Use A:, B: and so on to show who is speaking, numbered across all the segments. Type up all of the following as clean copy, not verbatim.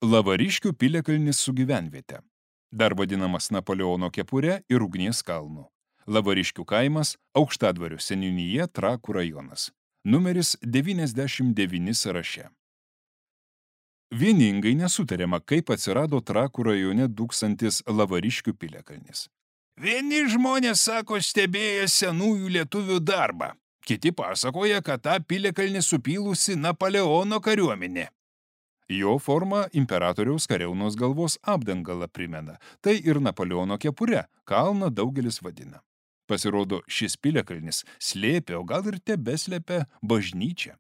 A: Lavariškių piliakalnis su gyvenviete. Dar vadinamas Napoleono kepure ir ugnies kalnu. Lavariškių kaimas, Aukštadvario seniūnija, Trakų rajonas. Numeris 99 sąraše. Vieningai nesutariama, kaip atsirado Trakų rajone dūkstantis Lavariškių piliakalnis. Vieni žmonės sako stebėję senųjų lietuvių darbą. Kiti pasakoja, kad tą piliakalnį supylusi Napoleono kariuomenė. Jo forma imperatoriaus kariaunos galvos apdangalą primena. Tai ir Napoleono kepure, kalną daugelis vadina. Pasirodo, šis piliakalnis slėpė, o gal ir tebeslepia bažnyčią.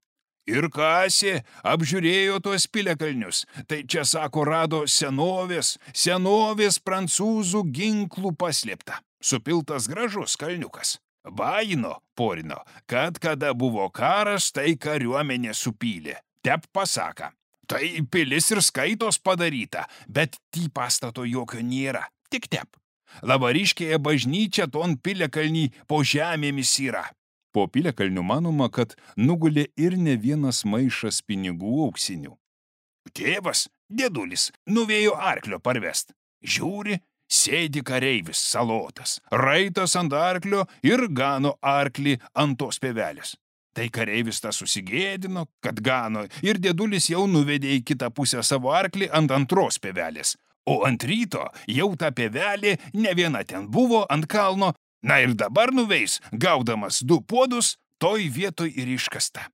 A: Ir kasė, apžiūrėjo tuos piliakalnius. Tai čia, sako, rado senovės prancūzų ginklų paslėpta. Supiltas gražus kalniukas. Baino, porino, kad kada buvo karas, tai kariuomenė supylė. Tep pasaka. Tai pilis ir skaitos padaryta, bet tį pastato jokio nėra, tik tep. Lavariškėje bažnyčia ton piliakalnį po žemėmis yra. Po piliakalnių manoma, kad nugulė ir ne vienas maišas pinigų auksinių. Tėvas, dėdulis, nuvėjo arklio parvest. Žiūri, sėdi kareivis salotas, raitas ant arklio ir gano arklį ant tos pievelės. Tai kareivis tas susigėdino, kad gano, ir dėdulis jau nuvedė į kitą pusę savo arklį ant antros pievelės. O ant ryto jau ta pievelė ne viena ten buvo ant kalno, na ir dabar nuveis, gaudamas 2 puodus, toj vietoj ir iškasta.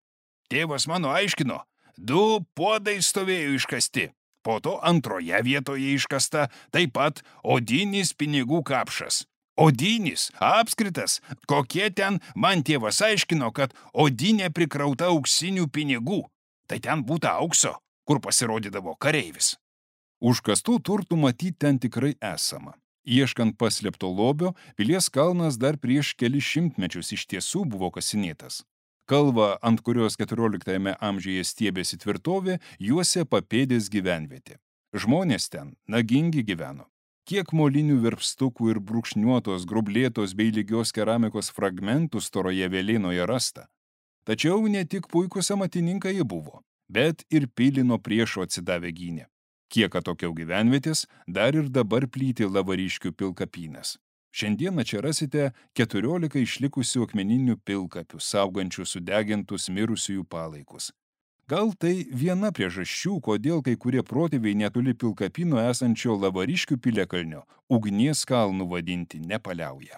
A: Tėvas mano aiškino, 2 puodai stovėjo iškasti. Po to antroje vietoje iškasta taip pat odinis pinigų kapšas. Odinis, apskritas, kokie ten, man tėvas aiškino, kad odinė prikrauta auksinių pinigų. Tai ten būta aukso, kur pasirodydavo kareivis. Užkastų turtų matyti ten tikrai esama. Ieškant paslėpto lobio, pilies kalnas dar prieš kelis šimtmečius iš tiesų buvo kasinėtas. Kalvą, ant kurios 14 amžiuje stiebėsi tvirtovė, juosė papėdės gyvenvietė. Žmonės ten nagingi gyveno. Kiek molinių verpstukų ir brūkšniuotos, grublėtos bei lygios keramikos fragmentų storoje vėlėnoje rasta. Tačiau ne tik puikūs amatininkai jie buvo, bet ir pilį nuo priešo atsidavę gynė. Kiek atokiau gyvenvietės, dar ir dabar plyti Lavariškių pilkapynas. Šiandieną čia rasite 14 išlikusių akmeninių pilkapių, saugančių sudegintus mirusiųjų palaikus. Gal tai viena priežasčių, kodėl kai kurie protėviai netoli pilkapyno esančio Lavariškių piliakalnio ugnies kalnų vadinti nepaliauja.